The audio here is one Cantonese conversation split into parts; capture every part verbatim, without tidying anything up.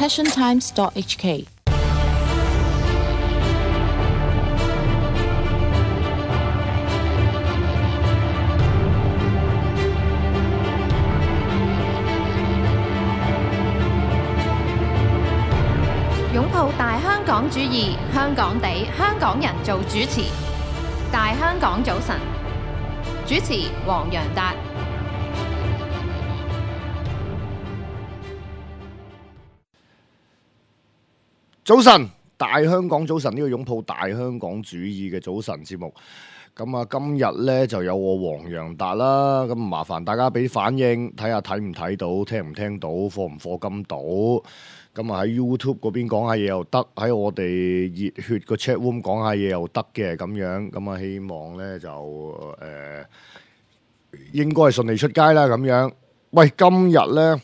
passion times dot h k。擁抱大香港主義，香港地，香港人做主持。大香港早晨，主持黃洋達。早晨，大香港早晨，呢個擁抱大香港主義嘅早晨節目。咁啊，今日呢就有我黃洋達啦。咁麻煩大家俾反應，睇下睇唔睇到，聽唔聽到，課唔課金到。咁啊喺 YouTube 嗰邊講下嘢又得，喺我哋熱血個 chat room 講下嘢又得嘅咁樣。咁啊，希望呢就誒、呃、應該係順利出街啦咁樣。喂，今日呢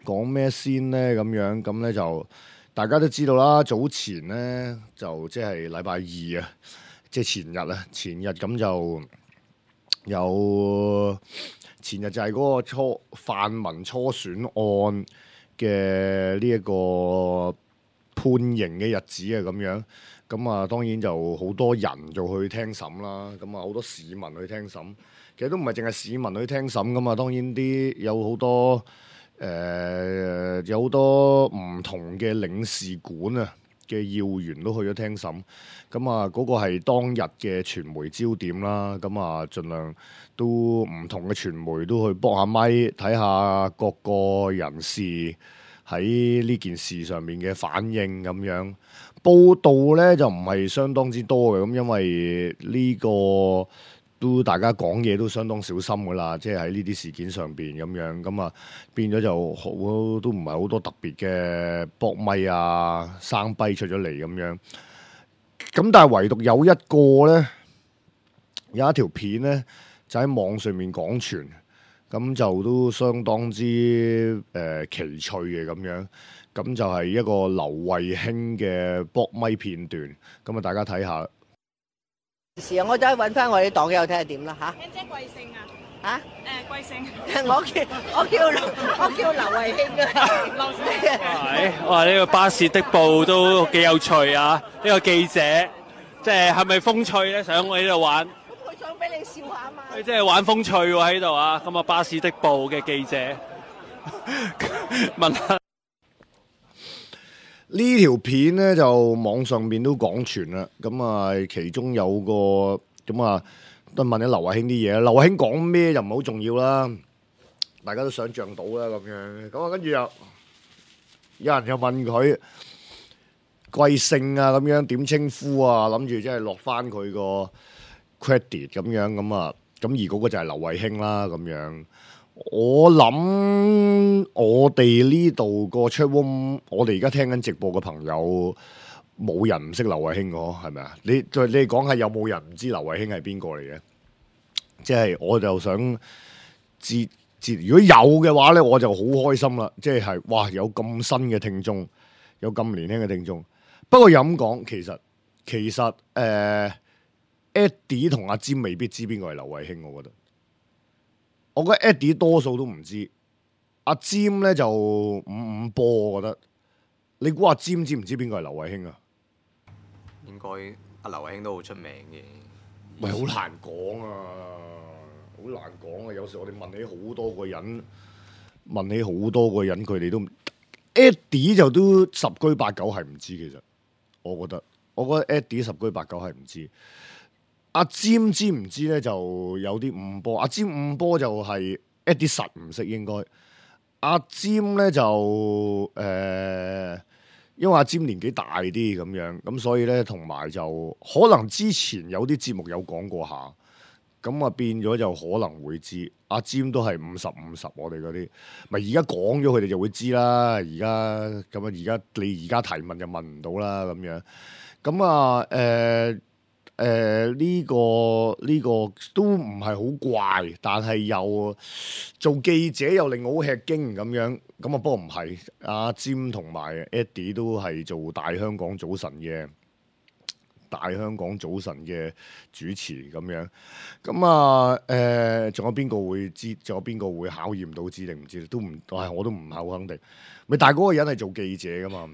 講咩先呢？咁樣咁呢就大家都知道啦。早前呢就即係禮拜二啊，即係前日啊，前日咁就有前日就係嗰個初泛民初選案嘅呢一個判刑嘅日子啊，咁樣咁啊，當然就好多人就去聽審啦，咁啊好多市民去聽審，其實都唔係淨係市民去聽審噶嘛，當然啲有好多誒、呃、有好多唔同嘅領事館啊嘅要員都去咗聽審，咁啊嗰個係當日嘅傳媒焦點啦，咁啊盡量都唔同嘅傳媒都去幫下咪，睇下各個人士喺呢件事上面嘅反應咁樣。報道呢就唔係相當之多嘅，咁因為呢個都大家講嘢都相當小心噶啦，即係喺呢啲事件上邊咁樣，咁啊變咗就好都唔係好多特別嘅搏咪啊生跛出咗嚟咁樣。咁但係唯獨有一個呢，有一條片呢，就喺網上面廣傳，咁就都相當之誒、呃、奇趣嘅咁樣。咁就係一個劉慧卿嘅搏咪片段，咁啊大家睇下。時啊，我走去揾翻我啲黨友睇下點啦嚇。卿姐貴姓啊？嚇？誒貴姓？我叫我叫我叫劉慧卿嘅。劉姓。係，哇！呢個巴士的報都幾有趣啊！呢個記者即係係咪風趣咧？想我喺度玩。咁佢想俾你笑下嘛？佢即係玩風趣喎喺度啊！咁啊，巴士的報嘅記者問下。呢條片咧就網上面都廣傳啦，咁啊其中有個咁啊都問你劉慧卿啲嘢，劉慧卿講咩就唔係好重要啦，大家都想像到啦咁樣，咁啊跟住又有人又問佢貴姓啊咁樣點稱呼啊，諗住即係落翻佢個 credit 咁樣咁啊，咁而嗰個就係劉慧卿啦咁樣。我諗我哋呢度個 chat room，我哋而家聽緊直播嘅朋友，冇人唔識劉慧卿嘅，係咪啊？你再你講下有冇人唔知劉慧卿係邊個嚟嘅？即係我就想知知，如果有嘅話咧，我就好開心啦！即係哇，有咁新嘅聽眾，有咁年輕嘅聽眾。不過又咁講，其實其實誒、呃、Eddie 同阿詹未必知邊個係劉慧卿，我覺得。我覺得 Eddie 多數都唔知，阿詹咧就五五波，我覺得。你估阿詹知唔知邊個係劉慧卿啊？應該阿劉慧卿都好出名嘅。喂，好難講啊，好難講啊！有時我哋問起好多個人，問起好多個人，佢哋都 Eddie 就都十居八九係唔知。其實我覺得，我覺得 Eddie 十居八九係唔知。阿詹知唔知咧？就有啲五波。阿詹五波就係 Eddie 實唔識應該。阿詹咧就誒、呃，因為阿詹年紀大啲咁樣，咁所以咧同埋就可能之前有啲節目有講過下，咁啊變咗就可能會知。阿詹都係五十五十，我哋嗰啲咪而家講咗佢哋就會知啦。而家咁啊，而家你而家提問就問唔到啦咁樣。咁啊誒。呃誒呢、呃這個呢、這個都唔係好怪，但係又做記者又令我好吃驚咁樣。咁啊，不過唔係，阿詹同埋 Eddie 都係做大香港早晨嘅大香港早晨嘅主持咁樣。咁啊誒，仲、呃、有邊個會知？仲有邊個會考驗到知定唔知？都唔，係我都唔係好肯定。咪但係嗰個人係做記者噶嘛？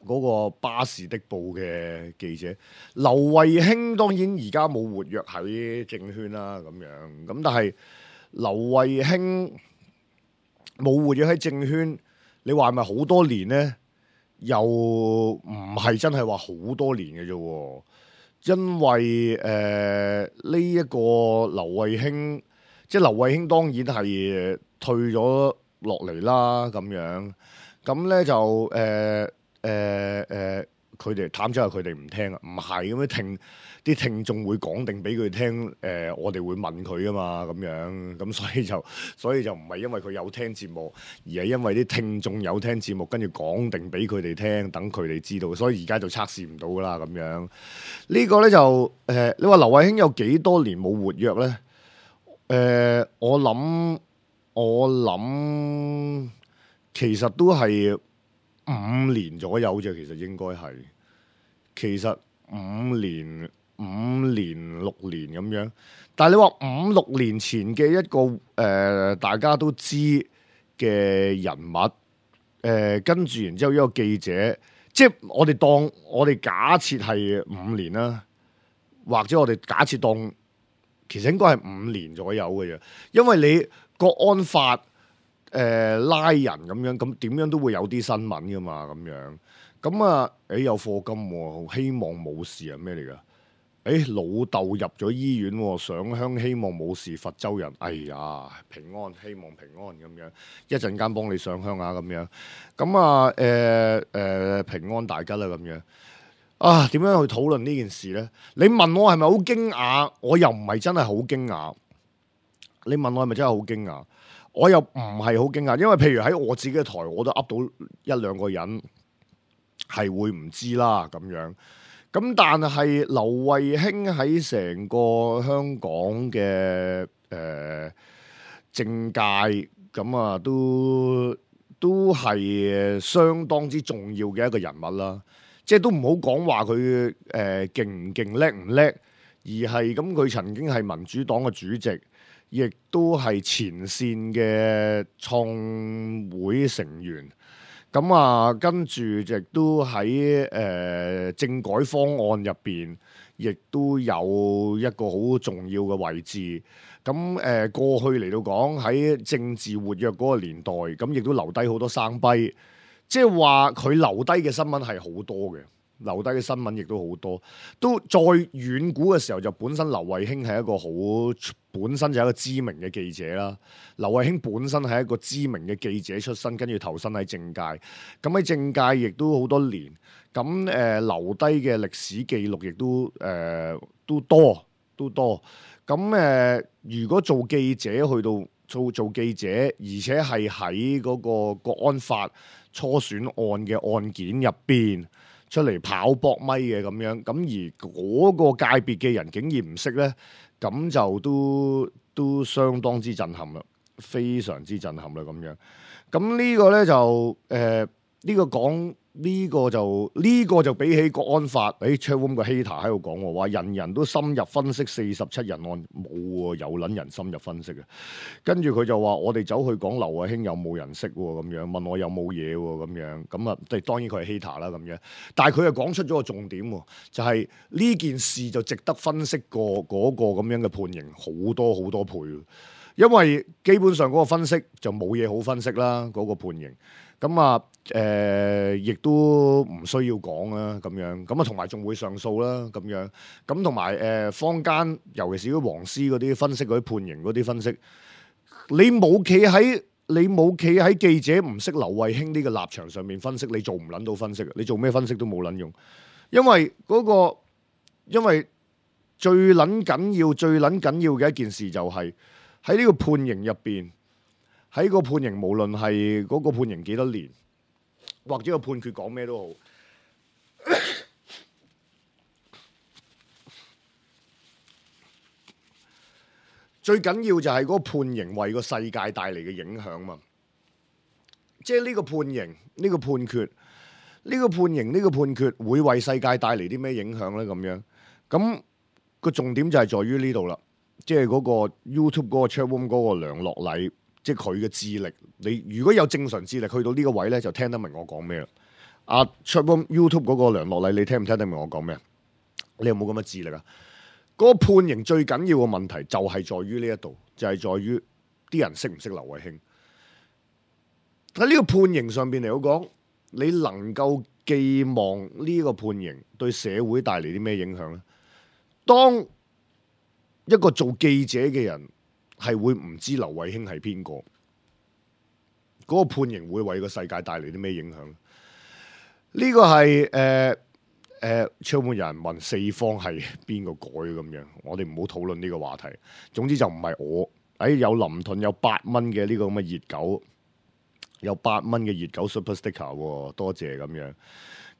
嗰、那個巴士的報嘅記者劉慧卿，當然而家冇活躍喺政圈啦，咁樣咁，但係劉慧卿冇活躍喺政圈，你話係咪好多年呢？又唔係真係話好多年嘅啫，因為誒呢一個劉慧卿，即係劉慧卿當然係退咗落嚟啦，咁樣咁咧就誒。呃誒誒，佢哋淡咗係佢哋唔聽啊，唔係咁樣聽啲聽眾會講定俾佢聽，誒、呃、我哋會問佢啊嘛，咁樣咁所以就所以就唔係因為佢有聽節目，而係因為啲聽眾有聽節目，跟住講定俾佢哋聽，等佢哋知道，所以而家就測試唔到啦咁樣。呢個、呢個咧就誒、呃，你話劉慧卿有幾多年冇活躍咧？誒、呃，我諗我諗其實都係五年左右啫，其實應該係，其實五年、五年、六年咁樣。但係你話五六年前嘅一個誒、呃，大家都知嘅人物，誒、呃，跟住然之後一個記者，即係我哋當我哋假設係五年啦，或者我哋假設當其實應該係五年左右嘅啫，因為你國安法。誒、呃、拉人咁樣，咁點樣都會有啲新聞噶嘛，咁樣咁啊，誒有課金喎，希望冇事啊，咩嚟噶？誒老豆入咗醫院喎，上香希望冇事，佛州人，哎呀平安，希望平安咁樣，一陣間幫你上香啊咁樣，咁啊誒誒、呃呃、平安大吉啦咁樣啊，點樣去討論呢件事咧？你問我係咪好驚訝？我又唔係真係好驚訝。你問我係咪真係好驚訝？我又唔係好驚訝，因為譬如喺我自己嘅台，我都噏到一兩個人係會唔知啦咁樣。咁但係劉慧卿喺成個香港嘅誒、呃、政界咁啊，都都係相當之重要嘅一個人物啦。即係都唔好講話佢誒勁唔勁叻唔叻，而係咁佢曾經係民主黨嘅主席。亦都係前線嘅創會成員，咁啊，跟住亦都喺誒、呃、政改方案入邊，亦都有一個好重要嘅位置。咁誒、呃、過去嚟到講喺政治活躍嗰個年代，咁亦都留低好多生輝，即係話佢留低嘅新聞係好多嘅。留低嘅新聞亦都好多，都再遠古嘅時候就本身劉慧卿係一個好本身就係一個知名嘅記者啦。劉慧卿本身係一個知名嘅記者出身，跟住投身喺政界，咁喺政界亦都好多年，咁誒、呃、留低嘅歷史記錄亦都誒、呃、都多都多。咁誒、呃、如果做記者去到做做記者，而且係喺嗰個國安法初選案嘅案件入邊出嚟跑搏咪嘅咁樣，咁而嗰個界別嘅人竟然唔識呢，咁就都都相當之震撼啦，非常之震撼啦咁樣。咁呢個呢，就誒呢、呃呢個講呢、呢個就呢、呢個就比起國安法，誒 Chatroom 個 hater 喺度講喎，話人人都深入分析四十七人案，冇喎，有撚人深入分析嘅。跟住佢就話我哋走去講劉慧卿有冇人識喎，咁樣問我有冇嘢喎，咁樣咁啊，即係當然佢係 hater 啦咁樣。但係佢又講出咗個重點喎，就係、是、呢件事就值得分析過嗰個咁樣嘅判刑好多好多倍，因為基本上嗰個分析就冇嘢好分析啦，嗰、嗰個判刑。咁啊，誒、呃，亦都唔需要講啦，咁樣，咁啊，同埋仲會上訴啦，咁樣，咁同埋誒，坊間尤其是啲黃絲嗰啲分析嗰啲判刑嗰啲分析，你冇企喺你冇企喺記者唔識劉慧卿呢個立場上面分析，你做唔撚到分析，你做咩分析都冇撚用，因為嗰、嗰個，因為最撚緊要、最撚緊要嘅一件事就係喺呢個判刑入邊。喺個判刑，無論係嗰個判刑幾多年，或者個判決講咩都好，最緊要就係嗰個判刑為個世界帶嚟嘅影響嘛。即係呢個判刑，呢個判決，呢個判刑呢個判決會為世界帶嚟啲咩影響咧？咁樣咁個重點就係在於呢度啦，即係嗰個 YouTube 嗰個 chatroom 嗰個梁樂禮，即係佢嘅智力。你如果有正常智力去到呢個位咧，就聽得明我講咩啦。阿 chatroom YouTube 嗰個梁樂禮，你聽唔聽得明我講咩？你有冇咁嘅智力啊？嗰、嗰個判刑最緊要嘅問題就係在於呢一度，就係、係、在於啲人識唔識劉慧卿。喺呢個判刑上邊嚟講，你能夠寄望呢個判刑對社會帶嚟啲咩影響咧？當一個做記者嘅人係會唔知劉慧卿係邊個，嗰、嗰個判刑會為個世界帶嚟啲咩影響？呢個係誒誒，窗門有人問四方係邊個改咁樣，我哋唔好討論呢個話題。總之就唔係我，誒、哎、有林頓有八蚊嘅呢個咁嘅熱狗，有八蚊嘅熱狗 Super Sticker， 多謝咁樣。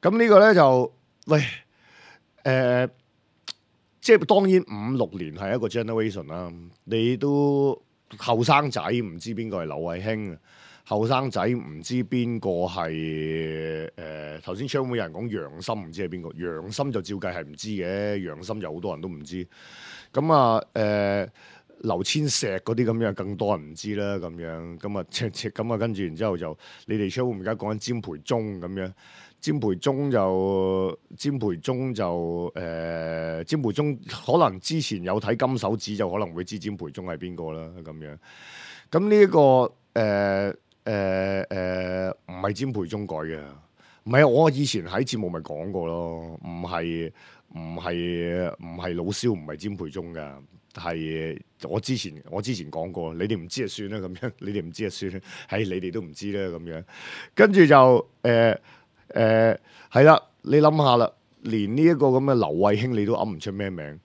咁呢個咧就喂誒、呃，即係當然五六年係一個 generation 啦。你都後生仔唔知邊個係劉慧卿。後生仔唔知邊個係誒，頭先槍會有人講楊森，唔知係邊個？楊森就照計係唔知嘅，楊森就好多人都唔知。咁啊誒，劉千石嗰啲咁樣更多人唔知啦。咁樣咁啊，赤赤咁啊，跟住然之後就你哋槍會而家講緊詹培忠咁樣，詹培忠就詹培忠就誒，詹培忠可能之前有睇金手指就可能會知詹培忠係邊個啦。咁樣咁呢一個誒。呃誒誒，唔係詹培忠改嘅，唔係我以前喺節目咪講過咯，唔係唔係唔係老蕭，唔係詹培忠嘅，係我之前我之前講過，你哋唔知就算啦咁樣，你哋唔知就算啦，係你哋都唔知啦咁樣，跟住就誒誒係啦，你諗下啦，連呢一個咁嘅劉慧卿你都噏唔出咩名，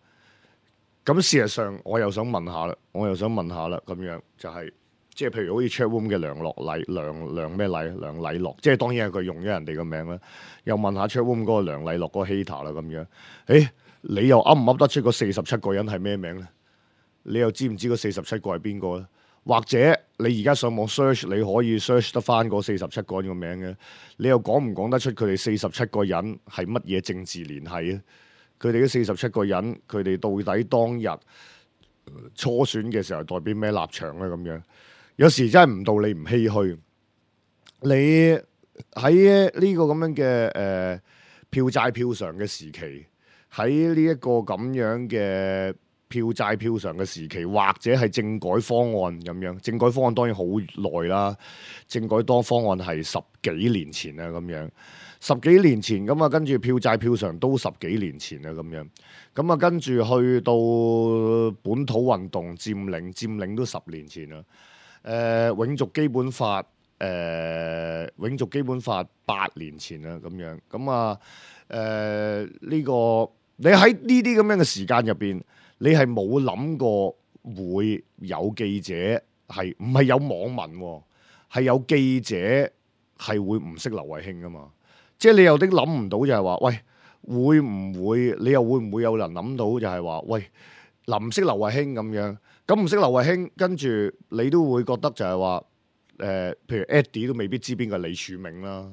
咁事實上我又想問下啦，我又想問下啦，咁樣就係、是。即係譬如好似 chatroom 嘅梁樂禮、梁梁咩禮、梁禮樂，即係當然係佢用咗人哋嘅名啦。又問下 chatroom 嗰個梁禮樂嗰個 hater 啦咁樣。誒，你又噏唔噏得出嗰四十七個人係咩名咧？你又知唔知嗰四十七個係邊個咧？或者你而家上網 search，你可以 search 得翻嗰四十七個人個名嘅？你又講唔講得出佢哋四十七個人係乜嘢政治聯繫啊？佢哋嗰四十七個人，佢哋到底當日初選嘅時候代表咩立場咧？咁樣？有時真係唔道理唔唏噓，你喺呢個咁樣嘅誒、呃、票債票償嘅時期，喺呢一個咁樣嘅票債票償嘅時期，或者係政改方案咁樣，政改方案當然好耐啦，政改多方案係十幾年前啊咁樣，十幾年前咁啊，跟住票債票償都十幾年前啊咁樣，咁啊跟住去到本土運動佔領，佔領都十年前啦。誒、呃、永續基本法，誒、呃、永續基本法八年前啦，咁樣咁啊，誒、呃、呢、這個你喺呢啲咁樣嘅時間入邊，你係冇諗過會有記者係唔係有網民喎，係有記者係會唔識劉慧卿噶嘛？即係你有啲諗唔到就係話，喂，會唔會你又會唔會有人諗到就係話，喂，嗱唔識劉慧卿咁樣？咁唔識劉慧卿，跟住你都會覺得就係話，誒、呃，譬如 Eddie 都未必知邊個係李柱銘啦，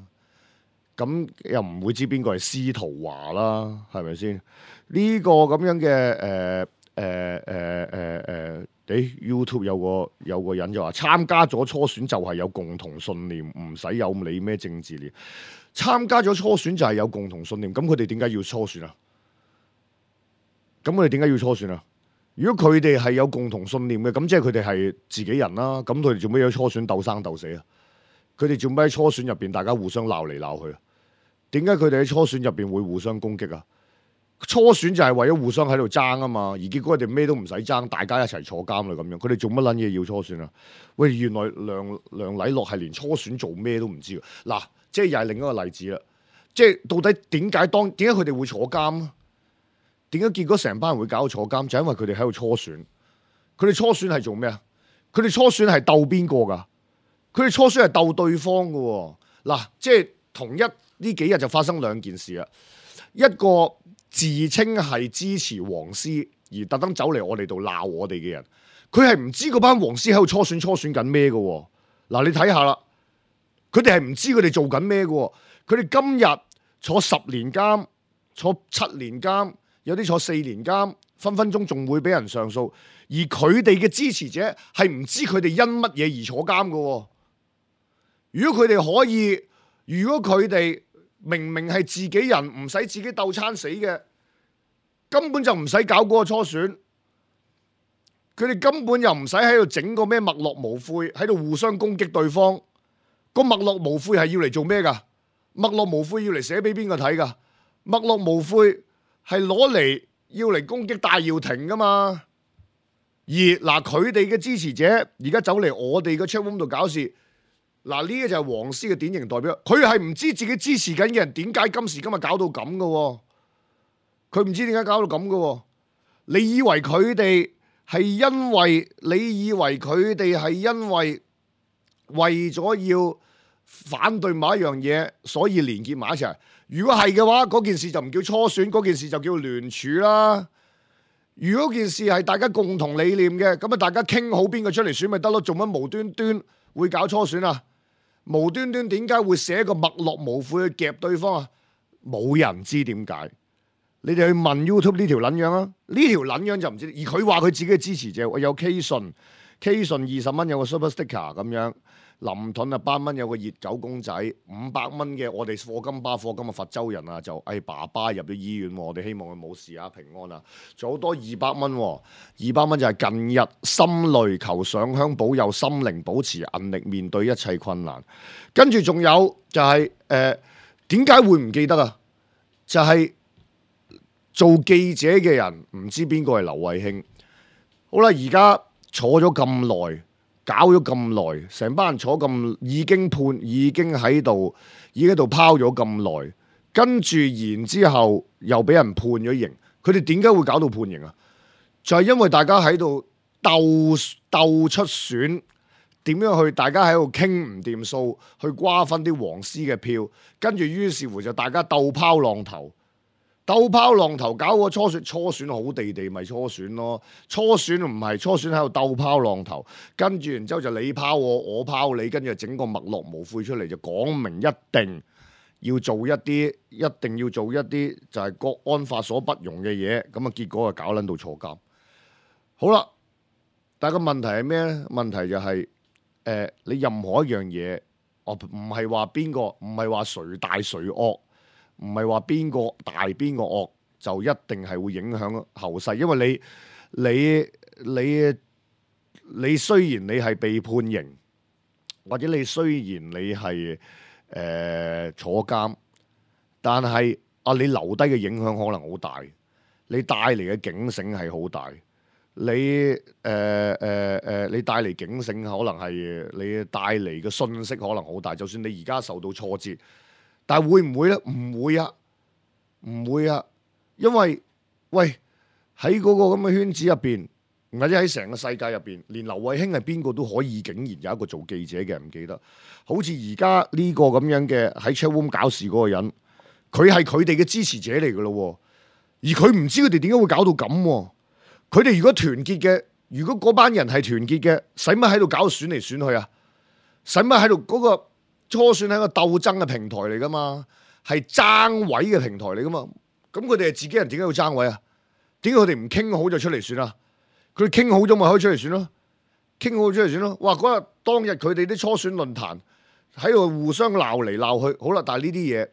咁又唔會知邊個係司徒華啦，係咪先？呢、這個咁樣嘅誒誒誒誒誒，誒 YouTube 有個有個人就話參加咗初選就係有共同信念，唔使有理咩政治念。參加咗初選就係有共同信念，咁佢哋點解要初選啊？咁佢哋點解要初選啊？如果佢哋係有共同信念嘅，咁即係佢哋係自己人啦。咁佢哋做咩喺初選鬥生鬥死啊？佢哋做咩喺初選入邊大家互相鬧嚟鬧去啊？點解佢哋喺初選入邊會互相攻擊啊？初選就係為咗互相喺度爭啊嘛，而結果佢哋咩都唔使爭，大家一齊坐監啦咁樣。佢哋做乜撚嘢要初選啊？喂，原來梁梁禮樂係連初選做咩都唔知。嗱，即係又係另一個例子啦。即係到底點解當點解佢哋會坐監啊？點解結果成班人會搞到坐監？就係因為佢哋喺度初選。佢哋初選係做咩啊？佢哋初選係鬥邊個噶？佢哋初選係鬥對方噶喎。嗱，即係同一呢幾日就發生兩件事啦。一個自稱係支持黃絲而特登走嚟我哋度鬧我哋嘅人，佢係唔知嗰班黃絲喺度初選初選緊咩噶喎。嗱，你睇下啦，佢哋係唔知佢哋做緊咩噶喎。佢哋今日坐十年監、坐七年監，有啲坐四年監，分分鐘仲會俾人上訴。而佢哋嘅支持者係唔知佢哋因乜嘢而坐監嘅。如果佢哋可以，如果佢哋明明係自己人，唔使自己鬥餐死嘅，根本就唔使搞嗰個初選。佢哋根本又唔使喺度整個咩墨落無悔，喺度互相攻擊對方。個墨落無悔係要嚟做咩噶？墨落無悔要嚟寫俾邊個睇噶？墨落無悔係攞嚟要嚟攻擊戴耀廷噶嘛？而嗱，佢哋嘅支持者而家走嚟我哋嘅 chat room 度搞事，嗱，呢個就係黃絲嘅典型代表。佢係唔知自己支持緊嘅人點解今時今日搞到咁噶？佢唔知點解搞到咁噶？你以為佢哋係因為？你以為佢哋係因為為咗要反對某一樣嘢，所以連結埋一齊？如果係嘅話，嗰件事就唔叫初選，嗰件事就叫聯署啦。如果件事係大家共同理念嘅，咁啊大家傾好邊個出嚟選咪得咯？做乜無端端會搞初選啊？無端端點解會寫個墨落無悔去夾對方啊？冇人知點解。你哋去問 YouTube 呢條撚樣啊？呢條撚樣就唔知。而佢話佢自己嘅支持者有 K 信 ，K 信二十蚊有個 Super Sticker 咁樣。林盾啊，八蚊有個熱狗公仔，五百蚊嘅我哋課金巴課金嘅佛州人啊，就誒、哎、爸爸入咗醫院，我哋希望佢冇事啊，平安啊。仲有好多二百蚊，二百蚊就係近日心累求上香保佑，心靈保持韌力面對一切困難。跟住仲有就係誒點解會唔記得啊？就係、是、做記者嘅人唔知邊個係劉慧卿。好啦，而家坐咗咁耐。搞咗咁耐，成班人坐咁，已經判，已經喺度，已經喺度拋咗咁耐，跟住然之後又俾人判咗刑。佢哋點解會搞到判刑啊？就係因為大家喺度鬥鬥出選，點樣去？大家喺度傾唔掂數，去瓜分啲黃絲嘅票，跟住於是乎就大家鬥拋浪頭。鬥拋浪頭搞個初選，初選好地地咪初選咯。初選唔係初選喺度鬥拋浪頭，跟住然之後就你拋我，我拋你，跟住整個墨落無悔出嚟，就講明一定要做一啲，一定要做一啲就係國安法所不容嘅嘢。咁啊結果就搞撚到坐監。好啦，但係個問題係咩咧？問題就係、是、誒、呃、你任何一樣嘢，我唔係話邊個，唔係話誰大誰惡。唔係話邊個大邊個惡就一定係會影響後世，因為你你你你雖然你係被判刑，或者你雖然你係誒、呃、坐監，但係啊你留低嘅影響可能好大，你帶嚟嘅警醒係好大，你誒誒誒你帶嚟警醒可能係你帶嚟嘅信息可能好大，就算你而家受到挫折。但係會唔會咧？唔會啊，唔會啊，因為喂喺嗰個咁嘅圈子入邊，或者喺成個世界入邊，連劉慧卿係邊個都可以，竟然有一個做記者嘅人唔記得。好似而家呢個咁樣嘅喺 chat room 搞事嗰個人，佢係佢哋嘅支持者嚟噶咯，而佢唔知佢哋點解會搞到咁。佢哋如果團結嘅，如果嗰班人係團結嘅，使乜喺度搞選嚟選去啊？使乜喺度嗰個？初選係一個鬥爭嘅平台嚟噶嘛，係爭位嘅平台嚟噶嘛。咁佢哋係自己人，點解要爭位啊？點解佢哋唔傾好就出嚟選啊？佢哋傾好咗咪可以出嚟選咯？傾好出嚟選咯。哇！嗰日當日佢哋啲初選論壇喺度互相鬧嚟鬧去，好啦。但係呢啲嘢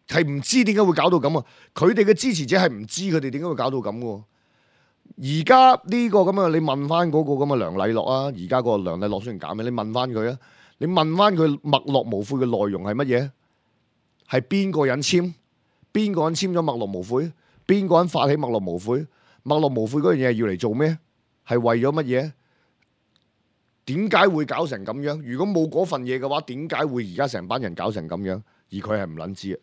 係唔知點解會搞到咁啊？佢哋嘅支持者係唔知佢哋點解會搞到咁嘅。而家呢個咁啊，你問翻嗰個咁嘅梁禮樂啊，而家個梁禮樂雖然減嘅，你問翻佢啊。你問翻佢墨落無悔嘅內容係乜嘢？係邊個人簽？邊個人簽咗墨落無悔？邊個人發起墨落無悔？墨落無悔嗰樣嘢係要嚟做咩？係為咗乜嘢？點解會搞成咁樣？如果冇嗰份嘢嘅話，點解會而家成班人搞成咁樣？而佢係唔撚知啊！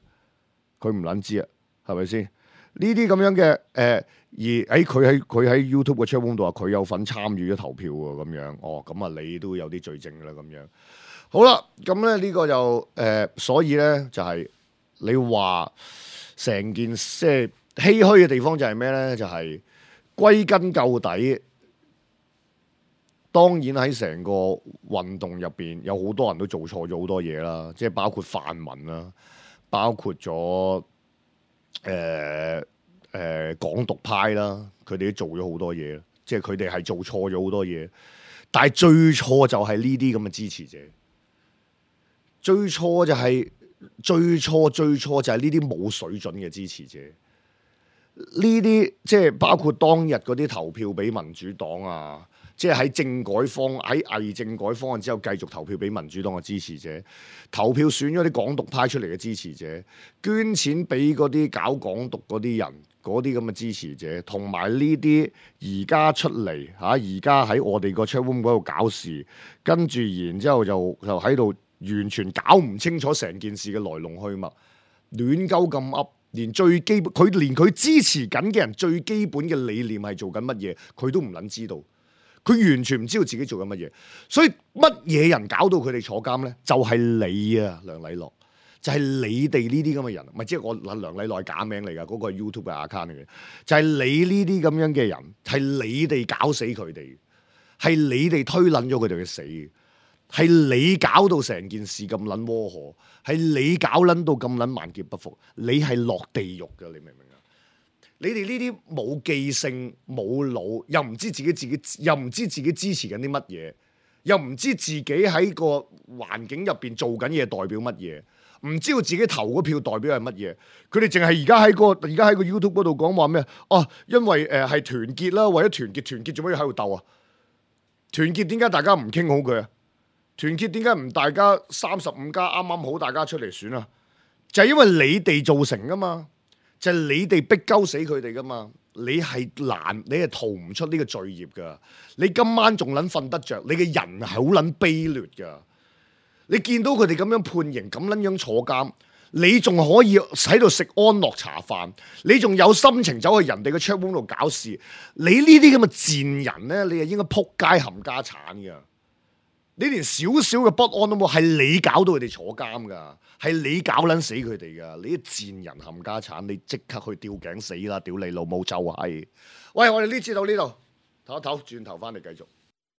佢唔撚知啊！係咪先？呢啲咁樣嘅誒、呃，而誒佢喺佢喺 YouTube 嘅 channel 度話佢有份參與咗投票喎，咁樣哦，咁啊你都有啲罪證㗎啦，咁樣。好啦，咁咧呢個就誒、呃，所以咧就係、是、你話成件即係唏噓嘅地方就係咩咧？就係、是、歸根究底，當然喺成個運動入邊有好多人都做錯咗好多嘢啦，即係包括泛民啦，包括咗誒誒港獨派啦，佢哋都做咗好多嘢，即係佢哋係做錯咗好多嘢。但係最錯就係呢啲咁嘅支持者，最錯就係、是、最錯最錯就係呢啲冇水準嘅支持者。呢啲即係包括當日嗰啲投票俾民主黨啊，即係喺政改方喺偽政改方案之後繼續投票俾民主黨嘅支持者，投票選咗啲港獨派出嚟嘅支持者，捐錢俾嗰啲搞港獨嗰啲人，嗰啲咁嘅支持者，同埋呢啲而家出嚟嚇，而家喺我哋個 chat room 嗰度搞事，跟住然之後就就喺度完全搞唔清楚成件事嘅來龍去脈，亂鳩咁噏。連最基本，佢連佢支持緊嘅人最基本嘅理念係做緊乜嘢，佢都唔撚知道。佢完全唔知道自己做緊乜嘢。所以乜嘢人搞到佢哋坐監咧？就係、是、你啊，梁禮樂，就係、是、你哋呢啲咁嘅人，唔係即係我梁禮樂假名嚟㗎，嗰、那個係 YouTube 嘅 account 嚟嘅，就係、是、你呢啲咁樣嘅人，係你哋搞死佢哋，係你哋推撚咗佢哋去死。係你搞到成件事咁撚窩火，係你搞撚到咁撚萬劫不復，你係落地獄㗎，你明唔明啊？你哋呢啲冇記性、冇腦，又唔知自己自己，又唔知自己支持緊啲乜嘢，又唔知自己喺個環境入邊做緊嘢代表乜嘢，唔知道自己投嗰票代表係乜嘢，佢哋淨係而家喺個而家喺個 YouTube 嗰度講話咩？哦，因為誒係、呃、團結啦，為咗團結，團結做乜要喺度鬥啊？團結點解大家唔傾好佢啊？團結點解唔大家三十五加啱啱好大家出嚟選啊？就係、是、因為你哋造成噶嘛，就係、是、你哋逼鳩死佢哋噶嘛。你係難，你係逃唔出呢個罪孽噶。你今晚仲撚瞓得着，你嘅人係好撚卑劣噶。你見到佢哋咁樣判刑，咁撚樣坐監，你仲可以喺度食安樂茶飯，你仲有心情走去人哋嘅 chat room 度搞事。你呢啲咁嘅賤人咧，你係應該撲街冚家產噶。你連少少嘅不安都冇，係你搞到佢哋坐監噶，係你搞撚死佢哋噶，你啲賤人冚家產，你即刻去吊頸死啦！屌你老母就係，喂，我哋呢次到呢度，唞一唞，轉頭翻嚟繼續。